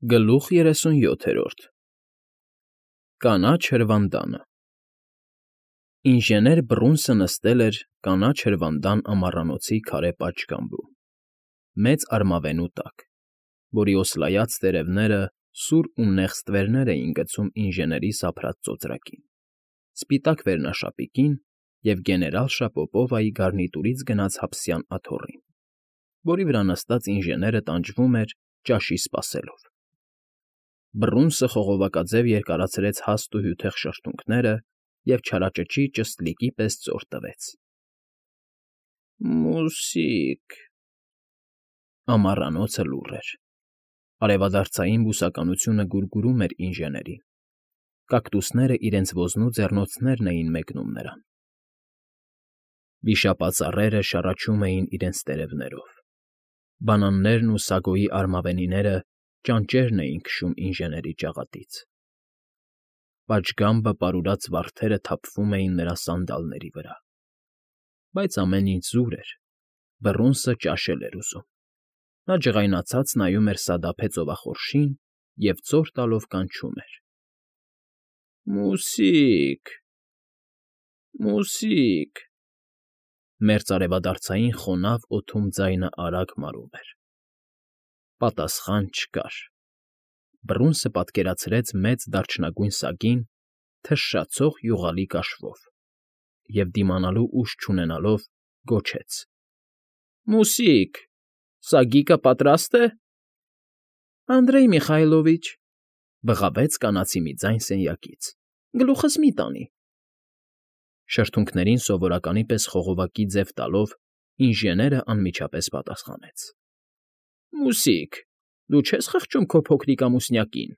Գլուխ 37 Կանաչ հրվանդանը Ինժեներ Բռունցը նստել էր կանաչ հրվանդան ամառանոցի քարե պատշգամբում, մեծ արմավենու տակ, որի օսլայած տերևները սուր ու նեղ ստվերներ էին գցում ինժեների սափրած ծոծրակին, սպիտակ վերնաշապիկին և գեներալ Շապոպովայի գարնիտուրից գնած հապսյան աթոռին, որի վրա նստած ինժեները տանջվում էր ճաշի սպասելով։ Բռունցը խողովակաձև երկարացրեց հաստ ու հյութեղ շրթունքները և չարաճճի ճստլիկի պես ծոր տվեց։ Մուսիկ… Ամառանոցը լուռ էր։ Արևադարձային բուսականությունը գուրգուրում էր ինժեներին, կակտուսները իրենց ոզնու ձեռնոցներն էին մեկնում նրան։ Վիշապածառերը շառաչում էին իրենց տերևներով, բանաններն ու սագոյի արմավենիները ճանճերն էին քշում ինժեների ճաղատից։ Պատշգամբը պարուրած վարդերը թափվում էին նրա սանդալների վրա։ Բայց ամեն ինչ զուր էր, Բռունցը ճաշել էր ուզում։ Նա ջղայնացած նայում էր սադափե ծովախորշին և ծոր տալով կանչում էր. Մուսիկ… Մուսիկ… Մերձարևադարձային խոնավ օդում ձայնը արագ մարում էր։ Պատասխան չկար։ Բռունցը պատկերացրեց մեծ դարչնագույն սագին թշշացող յուղալի կաշվով և, դիմանալու ուժ չունենալով, գոչեց. Մուսիկ… Սագիկը պատրաստ է… Անդրեյ Միխայլովիչ… բղավեց կանացի մի ձայն սենյակից… Գլուխս մի տանի… Շրթունքներին սովորականի պես խողովակի ձև տալով ինժեներն անմիջապես պատասխանեց. Մուսիկ… Դու չես խղճում քո փոքրիկ ամուսնյակին…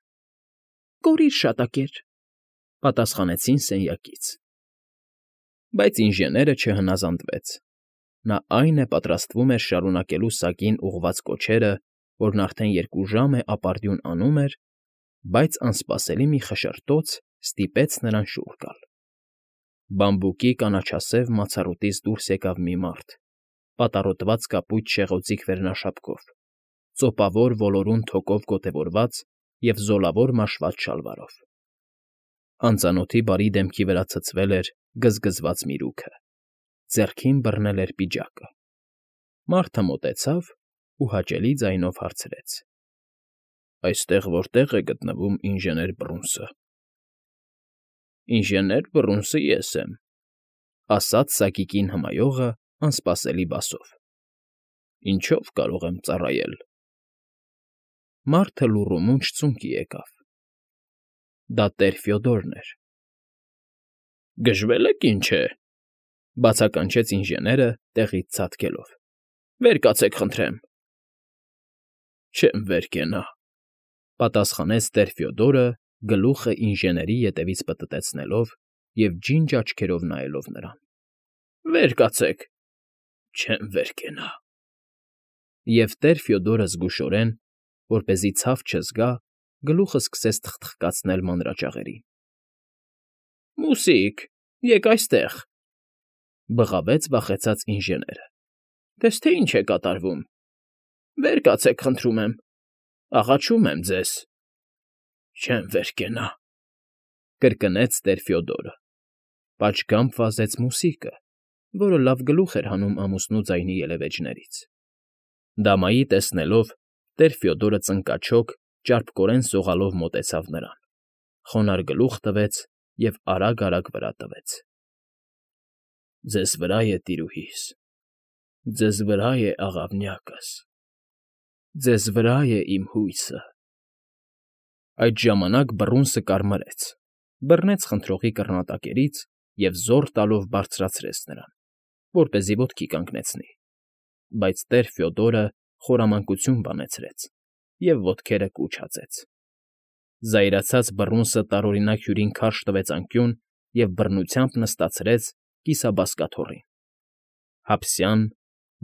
Կորիր շատակեր… պատասխանեցին սենյակից։ Բայց ինժեները չհնազանդվեց։ Նա այն է պատրաստվում էր շարունակելու սագին ուղղված կոչերը, որն արդեն 2 ժամ է ապարդյուն անում էր, բայց անսպասելի մի խշշրտոց ստիպեց նրան շուռ գալ։ Բամբուկի կանաչասև մացառուտից դուրս եկավ մի մարդ, պատառոտված կապույտ շեղօձիկ վերնաշապկով, ծոպավոր ոլորուն թոկով գոտևորված և զոլավոր մաշված շալվարով։ Անծանոթի բարի դեմքի վրա ցցվել էր գզգզված միրուքը, ձեռքին բռնել էր պիջակը։ Մարդը մոտեցավ ու հաճելի ձայնով հարցրեց. Այստեղ որտե՞ղ է գտնվում ինժեներ Բռունցը։ Ինժեներ Բռունցը ես եմ, ասաց սագիկին հմայողը անսպասելի բասով։ Ինչո՞վ կարող եմ ծառայել։ Մարդը լուռումունջ ծունկի եկավ։ Դա տեր Ֆյոդորն էր։ Գժվել եք, ինչ է, բացականչեց ինժեները տեղից ցատկելով։ Վեր կացեք, խնդրեմ։ Չեմ վեր կենա, պատասխանեց տեր Ֆյոդորը, գլուխը ինժեների ետևից պտտեցնելով և ջինջ աչքերով նայելով նրան։ Վեր կացեք։ Չեմ վեր կենա։ Եվ տեր Ֆյոդորը զգուշորեն, որպեսզի ցավ չզգա, գլուխը սկսեց թխթխկացնել մանրաճաղերին։ Մուսիկ… Եկ այստեղ… բղավեց վախեցած ինժեները։ Տես թե ինչ է կատարվում… Վեր կացեք, խնդրում եմ… Աղաչում եմ ձեզ… Չեմ վեր կենա… կրկնեց տեր Ֆյոդորը։ Պատշգամբ վազեց մուսիկը, որը լավ գլուխ էր հանում ամուսնու ձայնի ելևէջներից։ Դամայի տեսնելով, տեր Ֆյոդորը ծնկաչոք, ճարպկորեն սողալով մոտեցավ նրան, խոնարհ գլուխ տվեց և արագ֊արագ վրա տվեց։ Ձեզ վրա է, տիրուհիս, ձեզ վրա է աղավնյակս, ձեզ վրա է իմ հույսը… Այդ ժամանակ Բռունցը կարմրեց, բռնեց խնդրողի կռնատակերից և զոռ տալով բարձրացրեց նրան, որպեսզի ոտքի կանգնեցնի, բայց տեր Ֆյոդորը խորամանկություն բանեցրեց և ոտքերը կուչ հածեց։ Զայրացած Բռունցը տարօրինակ հյուրին քարշ տվեց անկյուն և բռնությամբ նստացրեց կիսաբազկաթոռին, հապսյան,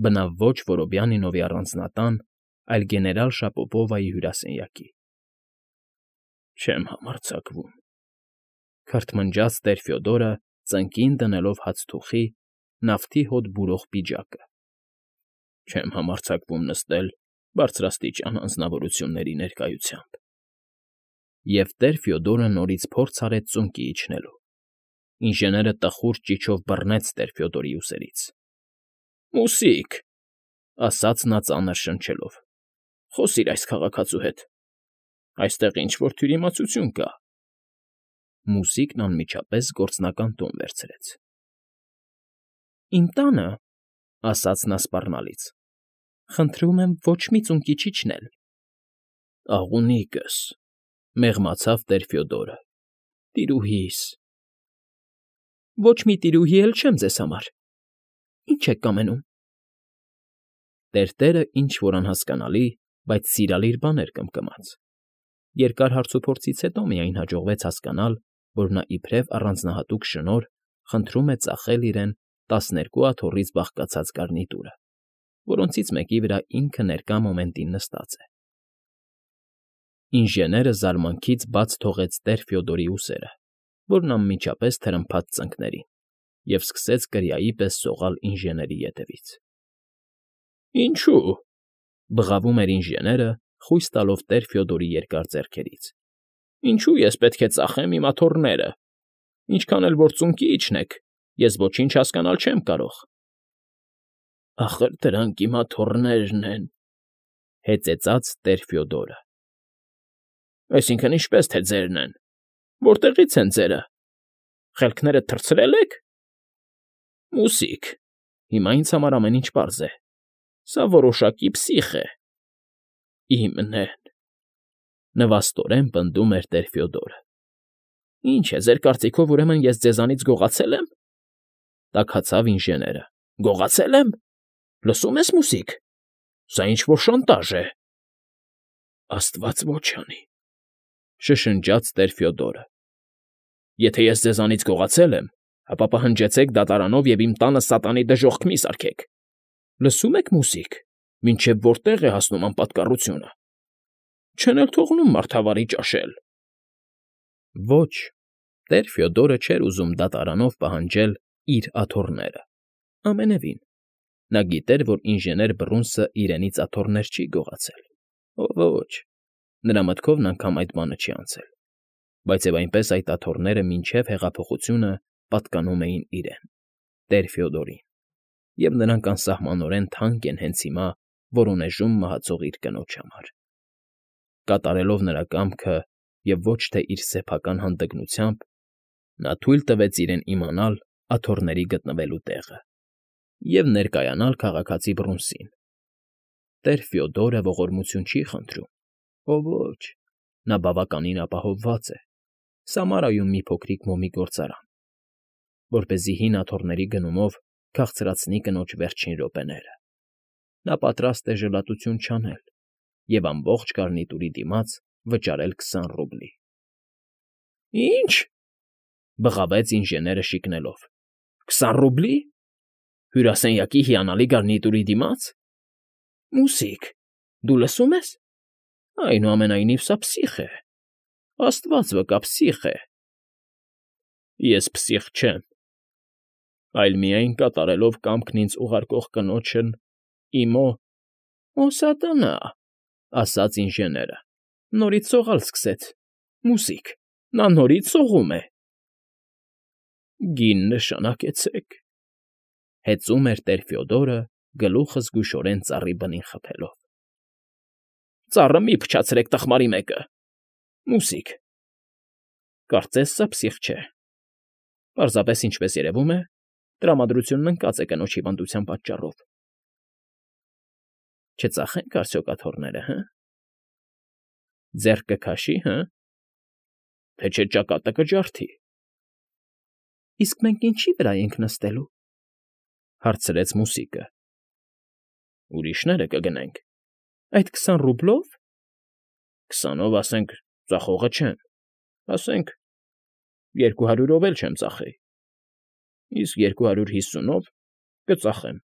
բնավ ոչ Որոբյանինովի առանձնատան, այլ գեներալ Շապոպովայի հյուրասենյակի։ Չեմ համարձակվում, քրթմնջաց տեր Ֆյոդորը, ծնկին դնելով հացթուխի, նավթի հոտ բուրող պիջակը։ Չեմ համարձակվում նստել բարձրաստիճան անձնավորությունների ներկայությամբ։ Եվ տեր Ֆյոդորը նորից փորձ արեց ծունկի իջնելու։ Ինժեները տխուր ճիչով բռնեց տեր Ֆյոդորի ուսերից։ ֊ Մուսիկ,֊ ասաց նա ծանր շնչելով,֊ խոսիր այս քաղաքացու հետ. այստեղ ինչ֊որ թյուրիմացություն կա։ Մուսիկն անմիջապես գործնական տոն վերցրեց։ ֊ Իմ տանը,֊ ասաց նա սպառնալից,֊ խնդրում եմ ոչ մի ծունկի չիջնել։ ֊ Աղունիկս,֊ մեղմացավ տեր Ֆյոդորը,֊ տիրուհիս… ֊ Ոչ մի տիրուհի էլ չեմ ձեզ համար… Ի՞նչ եք կամենում։ Տերտերը ինչ֊որ անհասկանալի, բայց սիրալիր բաներ կմկմաց։ Երկար հարցուփորձից հետո միայն հաջողվեց հասկանալ, որ նա իբրև առանձնահատուկ շնորհ խնդրում է ծախել իրեն 12 աթոռից բաղկացած գարնիտուրը, որոնցից մեկի վրա ինքը ներկա մոմենտին նստած է։ Ինժեները զարմանքից բաց թողեց տեր Ֆյոդորի ուսերը, որն անմիջապես թրմփաց ծնկներին, և սկսեց կրիայի պես սողալ ինժեների ետևից։ ֊ Ինչո՞ւ,֊ բղավում էր ինժեները, խույս տալով տեր Ֆյոդորի երկար ձեռքերից,֊ ինչո՞ւ ես պետք է ծախեմ իմ աթոռները։ Ինչքան էլ որ ծունկի իջնեք, ես ոչինչ հասկանալ չեմ կարող։ ֊ Ախր դրանք իմ աթոռներն են,֊ հեծեծաց տեր Ֆյոդորը։ ֊ Այսինքն՝ ինչպես թե ձերն են, որտեղի՞ց են ձերը, խելքներդ թռցրե՞լ եք։ ֊ Մուսիկ, հիմա ինձ համար ամեն ինչ պարզ է, սա որոշակի պսիխ է։ ֊ Իմն են,֊ նվաստորեն պնդում էր տեր Ֆյոդորը։ ֊ Ինչ է, ձեր կարծիքով, ուրեմն ես ձեզանից գողացե՞լ եմ,֊ տաքացավ ինժեները։ ֊ Գողացե՞լ եմ։ Լսում ես, մուսիկ, սա ինչ֊որ շանտաժ է։ ֊ Աստված ոչ անի,֊ շշնջաց տեր Ֆյոդորը։ ֊ Եթե ես ձեզանից գողացել եմ, ապա պահանջեցեք դատարանով և իմ տանը սատանի դժոխք մի սարքեք։ Լսում եք, մուսիկ, մինչև որտեղ է հասնում անպատկառությունը։ Չեն էլ թողնում մարդավարի ճաշել։ Ոչ, տեր Ֆյոդորը չէր ուզում դատարանով պահանջել իր աթոռները։ Ամենևին, նա գիտեր, որ ինժեներ Բռունցը իրենից աթոռներ չի գողացել։ Ոչ, նրա մտքովն անգամ այդ բանը չի անցել։ Բայց և այնպես այդ աթոռները մինչև հեղափոխությունը պատկանում էին իրեն, տեր Ֆյոդորին, և նրանք անսահմանորեն թանկ են հենց հիմա Որոնեժում մահացող իր կնոջ համար։ Կատարելով նրա կամքը և ոչ թե իր սեփական հանդգնությամբ, նա թույլ տվեց իրեն իմանալ աթոռների գտնվելու տեղը և ներկայանալ քաղաքացի Բռունցին։ Տեր Ֆյոդորը ողորմություն չի խնդրում, ոչ, նա բավականին ապահովված է, Սամարայում մի փոքրիկ մոմի գործարան, որպեսզի հին աթոռների գնումով քաղցրացնի կնոջ վերջին րոպեները։ Նա պատրաստ է ժլատություն չանել և ամբողջ գարնիտուրի դիմաց վճարել 20 ռուբլի։ ֊ Ի՞նչ,֊ բղավեց ինժեները շիկնելով,֊ 20 ռուբլի… Հյուրասենյակի հիանալի գարնիտուրի դիմաց… Մուսիկ, դու լսում ես… Այնուամենայնիվ սա պսիխ է… Աստված վկա, պսիխ է… Ես պսիխ չեմ, այլ միայն կատարելով կամքն ինձ ուղարկող կնոջն իմո… Օ սատանա…֊ ասաց ինժեները։֊ Նորից սողալ սկսեց… Մուսիկ, նա նորից սողում է… Գին նշանակեցեք,֊ հեծում էր տեր Ֆյոդորը, գլուխը զգուշորեն ծառի բնին խփելով։ ֊ Ծառը մի՛ փչացրեք, տխմարի մեկը… Մուսիկ… Կարծես սա պսիխ չէ… Պարզապես, ինչպես երևում է, տրամադրությունն ընկած է կնոջ հիվանդության պատճառով… Չծախե՞նք արդյոք աթոռները, հը՞… Ձեռք կքաշի, հը՞… Թե չէ ճակատը կջարդի… ֊ Իսկ մենք ինչի՞ վրա ենք նստելու,֊ հարցրեց մուսիկը։ ֊ Ուրիշները կգնենք։ ֊ Այդ 20 ռուբլո՞վ։ ֊ 20-ով, ասենք, ծախողը չեմ, ասենք, 200-ով էլ չեմ ծախի, իսկ 250-ով կծախեմ…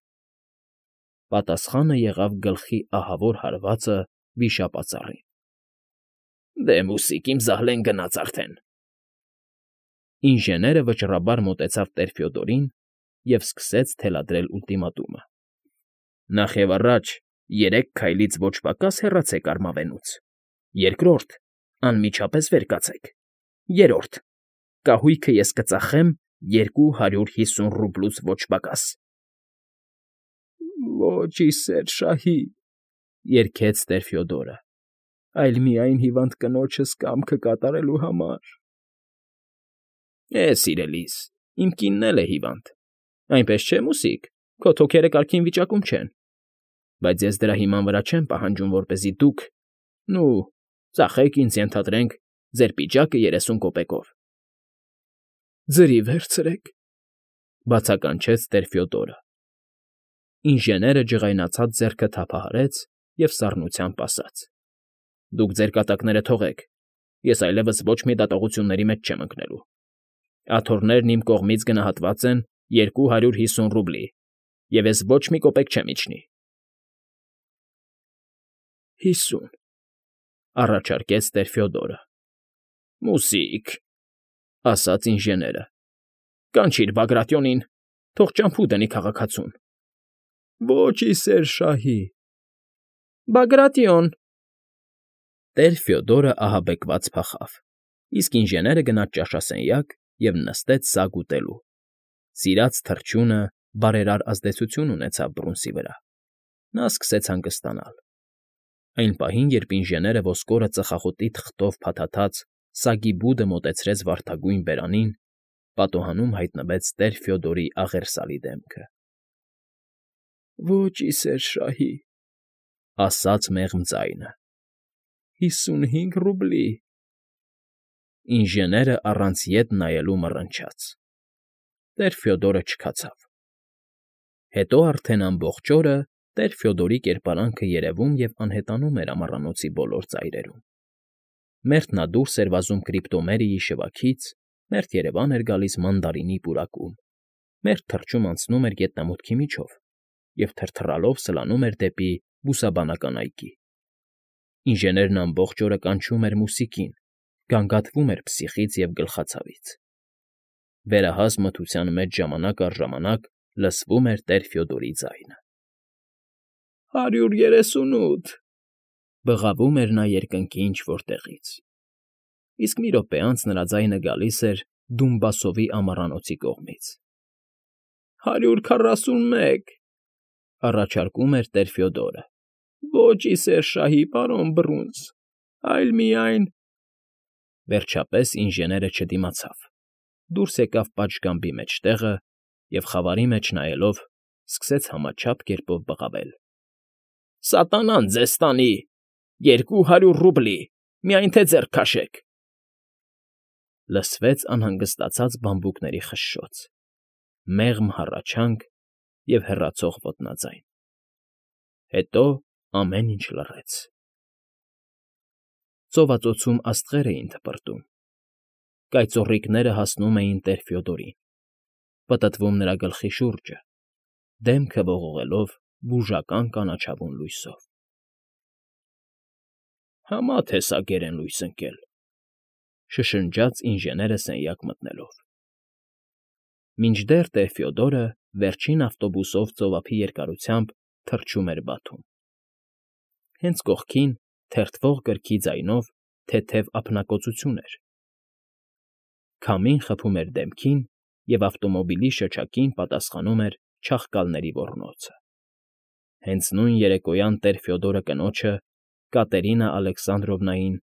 Պատասխանը եղավ գլխի ահավոր հարվածը վիշապածառին։ ֊ Դե, մուսիկ, իմ զահլեն գնաց արդեն… Ինժեները վճռաբար մոտեցավ տեր Ֆյոդորին և սկսեց թելադրել ուլտիմատումը։ Նախևառաջ 3 քայլից ոչ պակաս հեռացեք արմավենուց։ Երկրորդ, Անմիջապես վեր կացեք։ Երրորդ. կահույքը ես կծախեմ 250 ռուբլուց ոչ պակաս։ Ոչ, ի սեր շահի, երգեց տեր Ֆյոդորը, այլ միայն հիվանդ կնոջս կամքը կատարելու համար։ Սիրելիս, իմ կինն էլ է հիվանդ, այնպես չէ, մուսիկ, քո թոքերը կարգին վիճակում չեն, բայց ես դրա հիման վրա չեմ պահանջում, որպեսզի դուք, ծախեք ինձ, ենթադրենք, ձեր պիճակը 30 կոպեկով։ Ձրի վերցրեք, բացականչեց տեր Ֆյոդորը։ Ինժեները ջղայնացած ձեռքը թափահարեց և սառնությամբ ասաց. Դուք ձեր կատակները թողեք, ես այլևս ոչ մի դատողությունների մեջ չեմ ընկնելու։ Աթոռներն իմ կողմից գնահատված են 250 ռուբլի, և ես ոչ մի կոպեկ չեմ իջնի։ 50, առաջարկեց տեր Ֆյոդորը։ Մուսիկ, ասաց ինժեները, կանչիր Բագրատիոնին, թող ճամփու դնի քաղաքացուն։ Ոչ, ի սեր շահի։ Բագրատիոն։ Տեր Ֆյոդորը ահաբեկված փախավ, իսկ ինժեները գնաց ճաշասենյակ և նստեց սագ ուտելու։ Սիրած թռչյունը բարերար ազդեցություն ունեցավ բռունցի վրա։ Նա սկսեց հանգստանալ։ Այն պահին, երբ ինժեները ոսկորը ծխախոտի թղթով փաթաթած սագի բուդը մոտեցրեց վարդագույն բերանին, պատոհանում հայտնվեց տեր Ֆյոդորի աղերսալի դեմքը։ Ոչ, ի սեր շահի, ասաց մեղմ ձայնը։ 55 ռուբլի։ Ինժեները առանց ետ նայելու մռնչաց։ Տեր Ֆյոդորը չքացավ։ Հետո արդեն ամբողջ օրը տեր Ֆյոդորի կերպարանքը երևում և անհետանում էր ամառանոցի բոլոր ծայրերում։ Մերթ նա դուրս էր վազում Կրիպտոմերիի շվաքից, մերթ երևան էր գալիս մանդարինի պուրակում, մերթ թռչում անցնում էր գետնամուտքի միջով և թրթռալով սլանում էր դեպի բուսաբանական այգի։ Ինժեներն ամբողջ օրը կանչում էր մուսիկին, գանգատվում էր փսիխից և գլխացավից։ Վերահաս մթության մեջ ժամանակ առ ժամանակ լսվում էր տեր Ֆյոդորի ձայնը։ 138, բղավում էր նա երկնքի ինչ֊որ տեղից։ Իսկ մի րոպե անց նրա ձայնը գալիս էր Դումբասովի ամառանոցի կողմից։ 141, առաջարկում էր տեր Ֆյոդորը։ Ոչ, ի սեր շահի, պարոն բռունց, այլ միայն… Վերջապես ինժեները չդիմացավ, դուրս եկավ պատշգամբի մեջտեղը և, խավարի մեջ նայելով, սկսեց համաչափ կերպով բղավել. Սատանան ձեզ տանի, 200 ռուբլի, միայն թե ձեռք քաշեք… Լսվեց անհանգստացած բամբուկների խշշոց, մեղմ հառաչանք և հեռացող ոտնաձայն։ Հետո ամեն ինչ լռեց։ Ծովածոցում աստղեր էին թպրտում։ Կայծոռիկները հասնում էին տեր Ֆյոդորին, պտտվում նրա գլխի շուրջը, դեմքը ողողելով բուժական կանաչավուն լույսով։ Համա թե սա գերեն լույս ընկել, շշնջաց ինժեները սենյակ մտնելով։ Մինչդեռ տեր Ֆյոդորը վերջին ավտոբուսով ծովափի երկարությամբ թռչում էր Բաթում։ Հենց կողքին, թերթվող կրքի ձայնով, թեթև ափնակոծություն էր։ Քամին խփում էր դեմքին, և ավտոմոբիլի շչակին պատասխանում էր չաղկալների ոռնոցը։ Հենց նույն երեկոյան տեր Ֆյոդորը կնոջը, Կատերինա Ալեքսանդրովնային,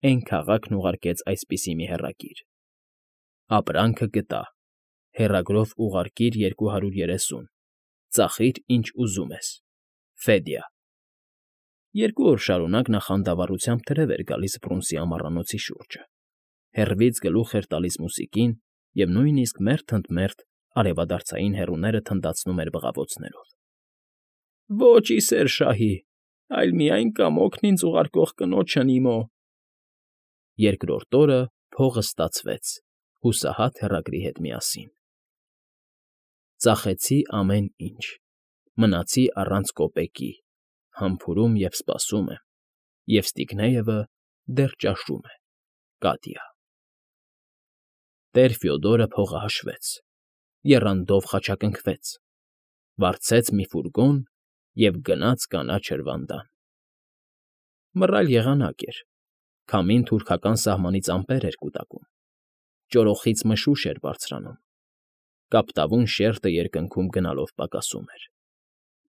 էն քաղաքն ուղարկեց այսպիսի մի հեռագիր. Ապրանքը գտա, հեռագրով ուղարկիր 230, ծախիր ինչ ուզում ես, Ֆեդյա։ 2 օր շարունակ նա խանդավառությամբ թրև էր գալիս բռունցի ամառանոցի շուրջը, հեռվից գլուխ էր տալիս մուսիկին և նույնիսկ մերթ ընդ մերթ արևադարձային հեռուները թնդացնում էր բղավոցներով։ Ոչ, ի սեր շահի, այլ միայն կամոքն ինձ ուղարկող կնոջն իմո։ Երկրորդ օրը փողը ստացվեց հուսահատ հեռագրի հետ միասին։ Ծախեցի ամեն ինչ, մնացի առանց կոպեկի, համբուրում և սպասում եմ, և Ստիգնեևը դեռ ճաշում է, Կատյա։ Տեր Ֆյոդորը փողը հաշվեց, եռանդով խաչակնքվեց, վարձեց մի ֆուրգոն և գնաց կանաչ հրվանդան։ Մռայլ եղանակ էր, Քամին թուրքական սահմանից ամպեր էր կուտակում, ճորոխից մշուշ էր բարձրանում, կապտավուն շերտը երկնքում գնալով պակասում էր,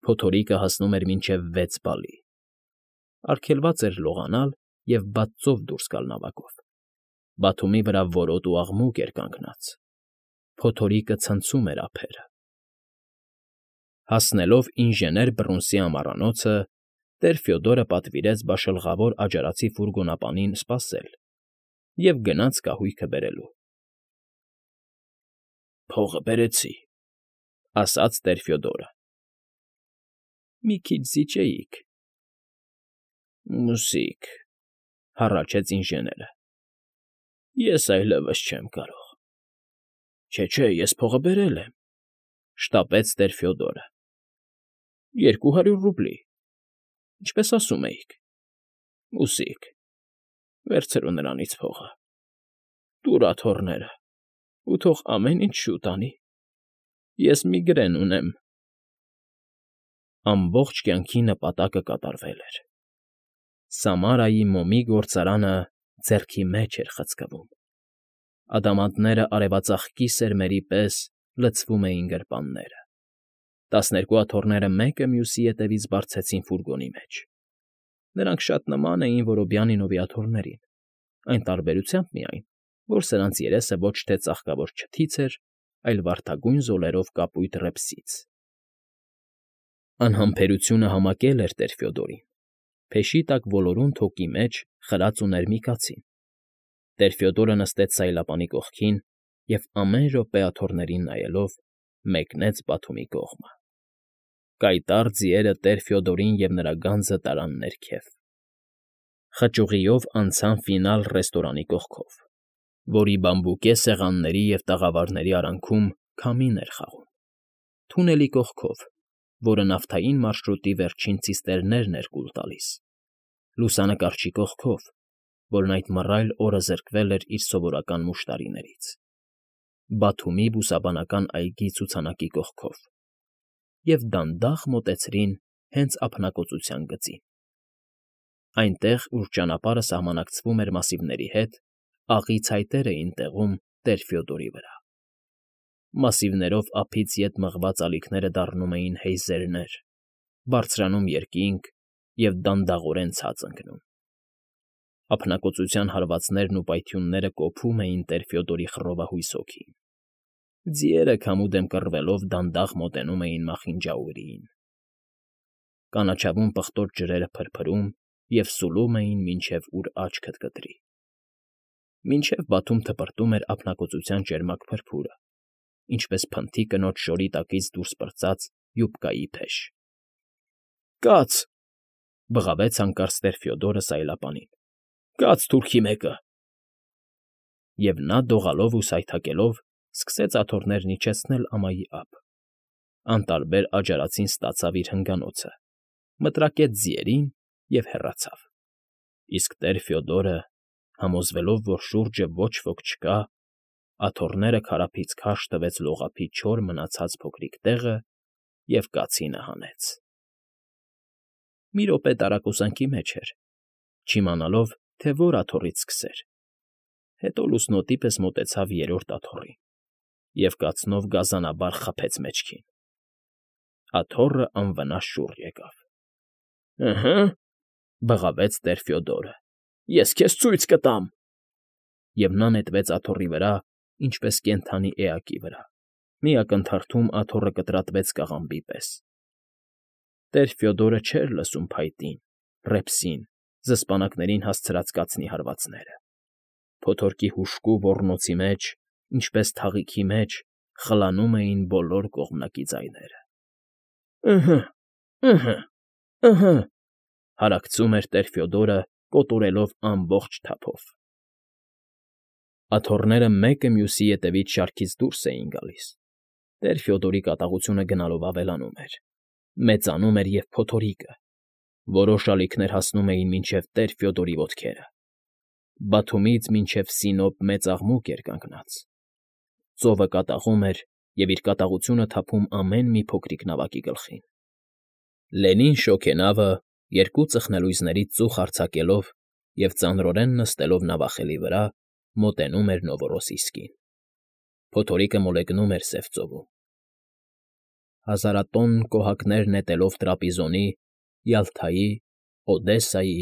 փոթորիկը հասնում էր մինչև 6 բալի, արգելված էր լողանալ և բաց ծով դուրս գալ նավակով, Բաթումի վրա որոտ ու աղմուկ էր կանգնած, փոթորիկը ցնցում էր ափերը։ Հասնելով ինժեներ Բռունսի ամառանոցը, տեր Ֆյոդորը պատվիրեց բաշլղավոր աջարացի ֆուրգոնապանին սպասել և գնաց կահույքը բերելու։ ֊ Փողը բերեցի,֊ ասաց տեր Ֆյոդորը։ ֊ Մի քիչ զիջեիք։ ֊ Մուզիկ,֊ հառաչեց ինժեները։ Ես այլևս չեմ կարող։ Չէ, ես փողը բերել եմ,֊ շտապեց տեր Ֆյոդորը։ 200 ռուբլի, ինչպես ասում էիք։ Մուզիկ, վերցրու նրանից փողը, տուր աթոռները ու թող ամեն ինչ շուտ անի։ Ես միգրեն ունեմ։ Ամբողջ կյանքի նպատակը կատարվել էր։ Սամարայի մոմի գործարանը ձեռքի մեջ էր խցկվում։ Ադամանդները արևածաղկի սերմերի պես լցվում էին գրպանները։ 12 աթոռները մեկը մյուսի ետևից բարձեցին ֆուրգոնի մեջ։ Նրանք շատ նման էին Որոբյանինովի աթոռներին, այն տարբերությամբ միայն, որ սրանց երեսը ոչ թե ծաղկավոր չթից էր, այլ վարդագույն զոլերով կապույտ ռեպսից։ Անհամբերությունը համակել էր տեր Ֆյոդորին։ Փեշի տակ ոլորուն թոկի մեջ խրած ուներ մի կացին։ Տեր Ֆյոդորը նստեց սայլապանի կողքին և ամեն րոպե աթոռներին նայելով մեկնեց Բաթումի կողմը։ Կայտառ ձիերը տեր Ֆյոդորին և նրա գանձը տարան ներքև։ Խճուղիով անցան ֆինալ ռեստորանի կողքով, որի բամբուկե սեղանների և տաղավարների արանքում քամին էր խաղում, թունելի կողքով, որը նավթային մարշրուտի վերջին ցիստերներն էր կուլ տալիս, լուսանկարչի կողքով, որն այդ մռայլ օրը զրկվել էր իր սովորական մուշտարիներից, Բաթումի բուսաբանական այգի ցուցանակի կողքով, և դանդաղ մոտեցրին հենց ափնակոծության գծին։ Այնտեղ, ուր ճանապարհը սահմանակցվում էր մասիվների հետ, աղի ցայտեր էին տեղում տեր Ֆյոդորի վրա։ Մասիվներով ափից ետ մղված ալիքները դառնում էին հեյզերներ, բարձրանում երկինք և դանդաղորեն ցած ընկնում։ Ափնակոծության հարվածներն ու պայթյունները կոփում էին տեր Ֆյոդորի խռովահույս հոգին։ Ձիերը քամուդեմ կռվելով դանդաղ մոտենում էին մախինջաուրիին։ Կանաչավուն պղտոր ջրերը փրփրում և սուլում էին, մինչև ուր աչքդ կտրի։ Մինչև բաթում թպրտում էր ափնակոծության ճերմակ փրփուրը, ինչպես փնթի կնոջ շորի տակից դուրս պրծած յուբկայի փեշ։ ֊ Կաց,֊ բղավեց հանկարծ տեր Ֆյոդորը սայլապանին,֊ կաց թուրքի մեկը… Եվ նա դողալով ու սայթաքելով սկսեց աթոռներն իջեցնել ամայի ափ։ Անտարբեր աջարածին ստացավ իր հնգանոցը, մտրակեց ձիերին և հեռացավ։ Իսկ տեր Ֆյոդորը, համոզվելով, որ շուրջը ոչ ոք չկա, աթոռները քարափից քարշ տվեց լողափի չոր մնացած փոքրիկ տեղը և կացինը հանեց։ Մի րոպե տարակուսանքի մեջ էր, չիմանալով, թե որ աթոռից սկսեր, հետո լուսնոտի պես մոտեցավ երրորդ աթոռին և կացնով գազանաբար խփեց մեջքին։ Աթոռը անվնաս շուռ եկավ։ ֊ Ըհը,֊ բղավեց տեր Ֆյոդորը,֊ ես քեզ ցույց կտամ… Եվ նա նետվեց աթոռի վրա, ինչպես կենդանի էակի վրա, մի ակնթարթում աթոռը կտրատվեց կաղամբի պես։ Տեր Ֆյոդորը չէր լսում փայտին, ռեպսին, զսպանակներին հասցրած կացնի հարվածները։ Փոթորկի հուժկու ոռնոցի մեջ, ինչպես թաղիքի մեջ, խլանում էին բոլոր կողմնակի ձայները։ ֊ Ըհը,… ըհը,֊ հարակցում էր տեր Ֆյոդորը, կոտորելով ամբողջ թափով։ Աթոռները մեկը մյուսի ետևից շարքից դուրս էին գալիս։ Տեր Ֆյոդորի կատաղությունը գնալով ավելանում էր, մեծանում էր և փոթորիկը։ Որոշ ալիքներ հասնում էին մինչև տեր Ֆյոդորի ոտքերը։ Բաթումից մինչև Սինոպ մեծ աղմուկ էր կանգնած։ Ծովը կատաղում էր և իր կատաղությունը թափում ամեն մի փոքրիկ նավակի գլխին։ Լենին շոգենավը, երկու ծխնելույզներից ծուխ արձակելով, և ծանրորեն նստելով նավախելի վրա մոտենում էր Նովորոսիսկին. փոթորիկը մոլեգնում էր սև ծովում։ Հազարատոնն կոհակներ նետելով Տրապիզոնի, Յալթայի, Օդեսայի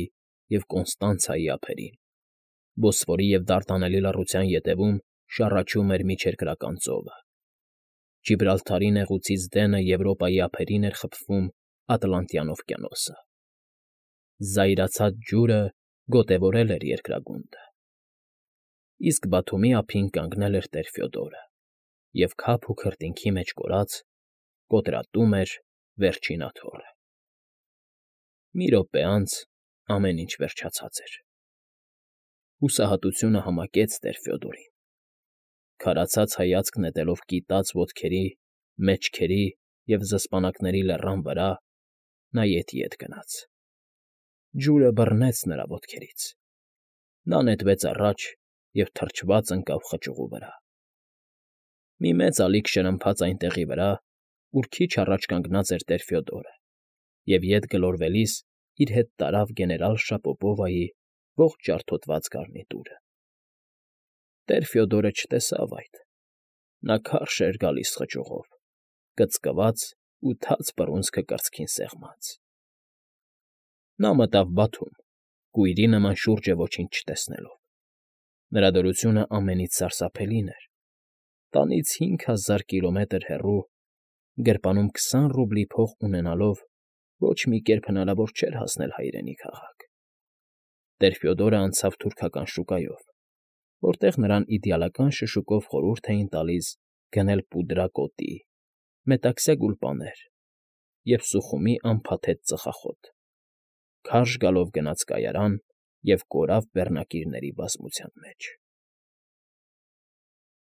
և Կոնստանցայի ափերին, Բոսֆորի և Դարդանելի լռության ետևում շառաչում էր միջերկրական ծովը։ Ջիբրալթարի նեղուցից դենը Եվրոպայի ափերին էր խփվում Ատլանտյան օվկիանոսը։ Զայրացած ջուրը գոտևորել էր երկրագունդը։ Իսկ Բաթումի ափին կանգնել էր տեր Ֆյոդորը և, քափ ու քրտինքի մեջ կորած, կոտրատում էր Վերջին Աթոռը։ Մի րոպե անց ամեն ինչ վերջացած էր։ Հուսահատությունը համակեց տեր Ֆյոդորին։ Քարացած հայացք նետելով կիտած ոտքերի, մեջքերի և զսպանակների լեռան վրա, նա ետ գնաց։ Ջուրը բռնեց նրա ոտքերից։ Նա նետվեց առաջ և թրջված ընկավ խճուղու վրա։ Մի մեծ ալիք շրմփաց այն տեղի վրա, ուր քիչ առաջ կանգնած էր տեր Ֆյոդորը, և ետ գլորվելիս իր հետ տարավ գեներալ Շապոպովայի ողջ ջարդոտված գարնիտուրը։ Տեր Ֆյոդորը չտեսավ այդ։ Նա քարշ էր գալիս խճուղով, կծկված ու թաց բռունցքը կրծքին սեղմած։ Նա մտավ Բաթում, կույրի նման շուրջը ոչինչ չտեսնելով։ Նրա դրությունը ամենից սարսափելին էր. տանից 5000 կիլոմետր հեռու, գրպանում 20 ռուբլի փող ունենալով ոչ մի կերպ հնարավոր չէր հասնել հայրենի քաղաք։ Տեր Ֆյոդորը անցավ թուրքական շուկայով, որտեղ նրան իդեալական շշուկով խորհուրդ էին տալիս գնել պուդրա կոտի, մետաքսյա գուլպաներ և Սուխումի անփաթեթ ծխախոտ, քարշ գալով գնաց կայարան և կորավ բեռնակիրների բազմության մեջ։